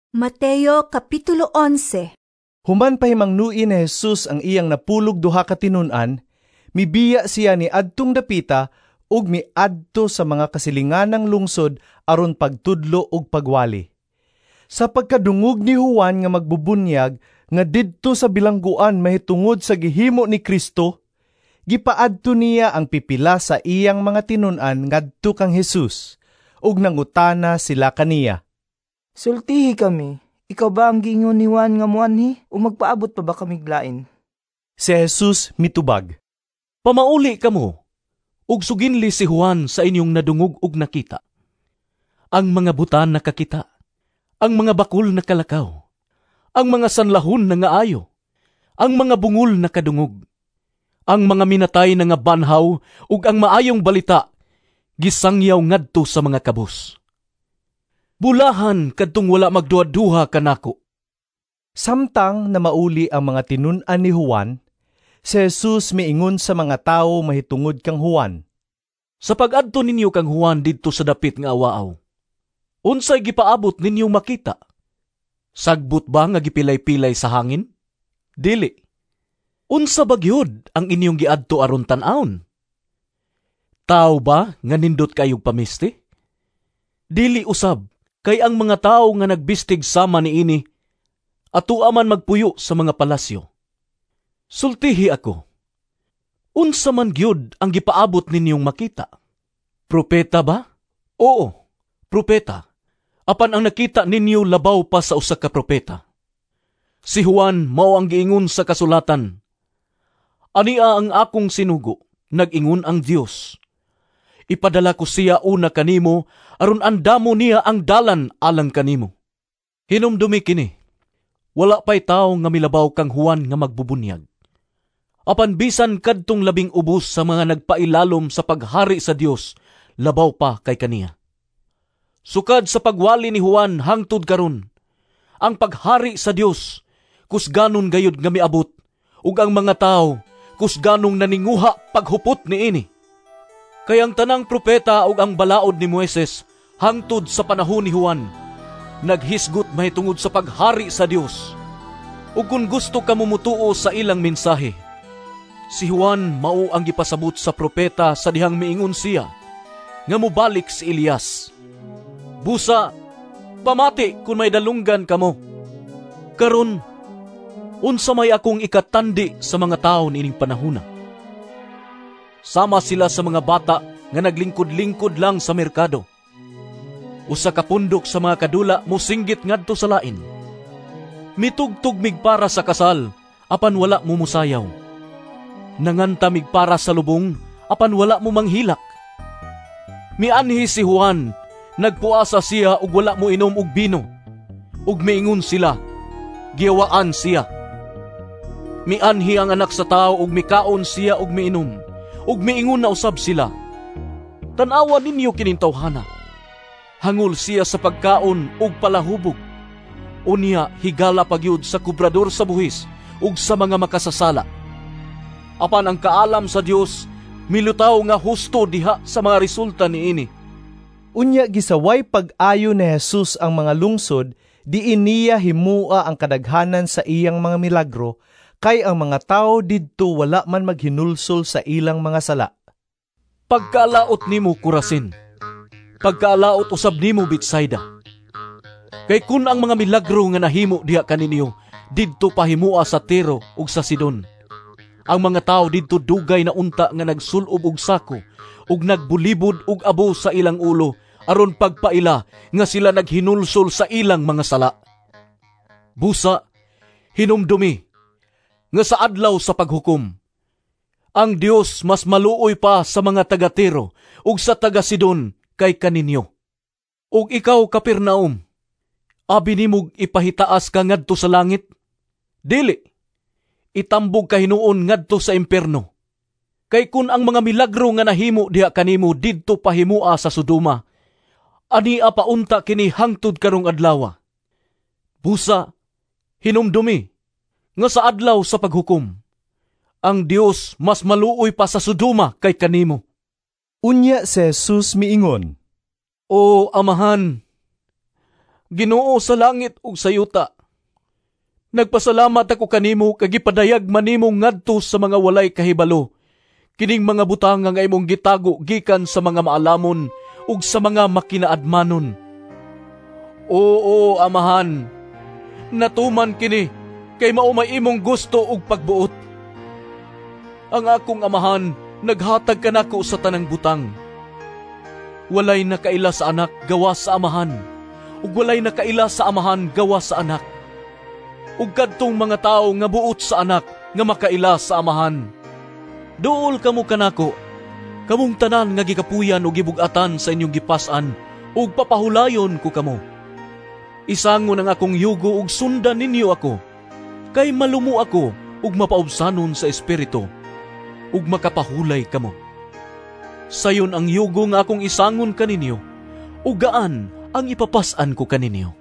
Mateo Kapitulo 11. Human pahimangnuin ni Jesus ang iyang 12 ka tinun-an, mibiya siya ni adtong dapita ug miadto sa mga kasilinganang lungsod aron pagtudlo ug pagwali. Sa pagkadungog ni Juan nga magbubunyag nga didto sa bilangguan mahitungod sa gihimo ni Kristo, gipaadto niya ang pipila sa iyang mga tinun-an ngadto kang Jesus ug nangutana sila kaniya. Sultihi kami, ikaw ba ang giingon ni Juan nga moanhi o magpaabot pa ba kamig lain? Si Jesus mitubag. Pamauli kamo, ug suginli si Juan sa inyong nadungog ug nakita. Ang mga butan nakakita, ang mga bakul nakalakaw, ang mga sanlahon nangaayo, ang mga bungol nakadungog, ang mga minatay na nga banhaw ug ang maayong balita gisangyaw ngadto sa mga kabus. Bulahan kadtong wala magduha-duha kanako. Samtang namauli ang mga tinun-an ni Juan, si Jesus miingon sa mga tawo mahitungod kang Juan. Sa pag-adto ninyo kang Juan didto sa dapit nga awaaw, unsay gipaabot ninyong makita? Sagbot ba nga gipilay-pilay sa hangin? Dili. Unsa ba gyud ang inyong giadto aron tan-awon? Tawo ba nga nindot kayog pamisti? Dili usab, kay ang mga tawo nga nagbistig sama niini atua man magpuyo sa mga palasyo. Sultihi ako, unsa man gyud ang gipaabot ninyong makita? Propeta ba? Oo, propeta. Apan ang nakita ninyo labaw pa sa usa ka propeta. Si Juan mao ang giingon sa kasulatan, Ania ang akong sinugo, nag-ingon ang Dios. Ipadala ko siya una kanimo, aron andamo niya ang dalan alang kanimo. Hinumdumi kini, wala pa'y tawo nga milabaw kang Juan nga magbubunyag. Apan bisan kadtong labing ubos sa mga nagpailalom sa paghari sa Dios, labaw pa kay kaniya. Sukad sa pagwali ni Juan hangtod karon, ang paghari sa Dios kusganon gayud nga miabot, ug ang mga tawo kusganong naninguha paghupot niini. Kay ang tanang propeta ug ang balaod ni Moises hangtod sa panahon ni Juan naghisgot mahitungod sa paghari sa Dios. Ug kung gusto ka mumutuo sa ilang mensahe, si Juan mao ang gipasabot sa propeta sa dihang miingon siya nga mobalik si Elias. Busa, pamati kung may dalunggan kamo. Karon, unsa may akong ikatandi sa mga tawo niining panahona? Sama sila sa mga bata nga naglingkod-lingkod lang sa merkado. Usa ka pundok sa mga kadula mosinggit ngadto sa lain. Mitugtog mig para sa kasal, apan wala mo musayaw. Nanganta mig para sa lubong, apan wala mo manghilak. Mianhi si Juan, nagpuasa siya ug wala mo inom og bino. Ug miingon sila, giyawaan siya. Mianhi ang anak sa tao ug mikaon siya ug miinom, ug miingon na usab sila. Tan-awa ninyo kining tawhana. Hangol siya sa pagkaon ug palahubog. Unya higala pagyud sa kubrador sa buhis ug sa mga makasasala. Apan ang kaalam sa Dios milutaw nga husto diha sa mga resulta niini. Unya gisaway pag-ayo ni Jesus ang mga lungsod, diin niya himua ang kadaghanan sa iyang mga milagro, kay ang mga tawo didto wala man maghinulsol sa ilang mga sala. Pagkaalaot nimo Corazin, pagkaalaot usab nimo Betsaida. Kay kun ang mga milagro nga nahimo diha kaninyo didto pahimua sa Tiro ug sa Sidon, ang mga tawo didto dugay na unta nga nagsulob og sako ug nagbulibod og abo sa ilang ulo aron pagpaila nga sila naghinulsol sa ilang mga sala. Busa, hinumdumi nga sa adlaw sa paghukom, ang Dios mas maluoy pa sa mga taga-Tiro ug sa taga-Sidon kay kaninyo. Ug ikaw, Capernaum, abi nimog ipahitaas ka ngadto sa langit? Dili, itambog ka hinuon ngadto sa impierno. Kay kun ang mga milagro nga nahimo diha kanimo didto pahimua sa Sodoma, ania paunta kini hangtod karong adlawa. Busa, hinumdumi nga sa adlaw sa paghukom, ang Dios mas maluoy pa sa Sodoma kay kanimo. Unya si Jesus miingon, O Amahan, Ginoo sa langit ug sa yuta. Nagpasalamat ako kanimo kay gipadayag man nimo ngadto sa mga walay kahibalo kining mga butang nga imong gitago gikan sa mga maalamon ug sa mga makinaadmanon. Oo, Amahan, natuman kini kay mao may imong gusto ug pagbuot. Ang akong Amahan naghatag kanako sa tanang butang. Walay nakaila sa Anak gawas sa Amahan, ug walay nakaila sa Amahan gawas sa Anak, ug kadtong mga tawo nga buot sa Anak nga makaila sa Amahan. Duol kamo kanako, kamong tanan nga gikapuyan ug gibug-atan sa inyong gipas-an, ug papahulayon ko kamo. Isangon ang akong yugo ug sundan ninyo ako, kay malumo ako ug mapaubsanon sa espiritu, ug makapahulay kamo. Sayon ang yugo nga akong isangon kaninyo, ug gaan ang ipapas-an ko kaninyo.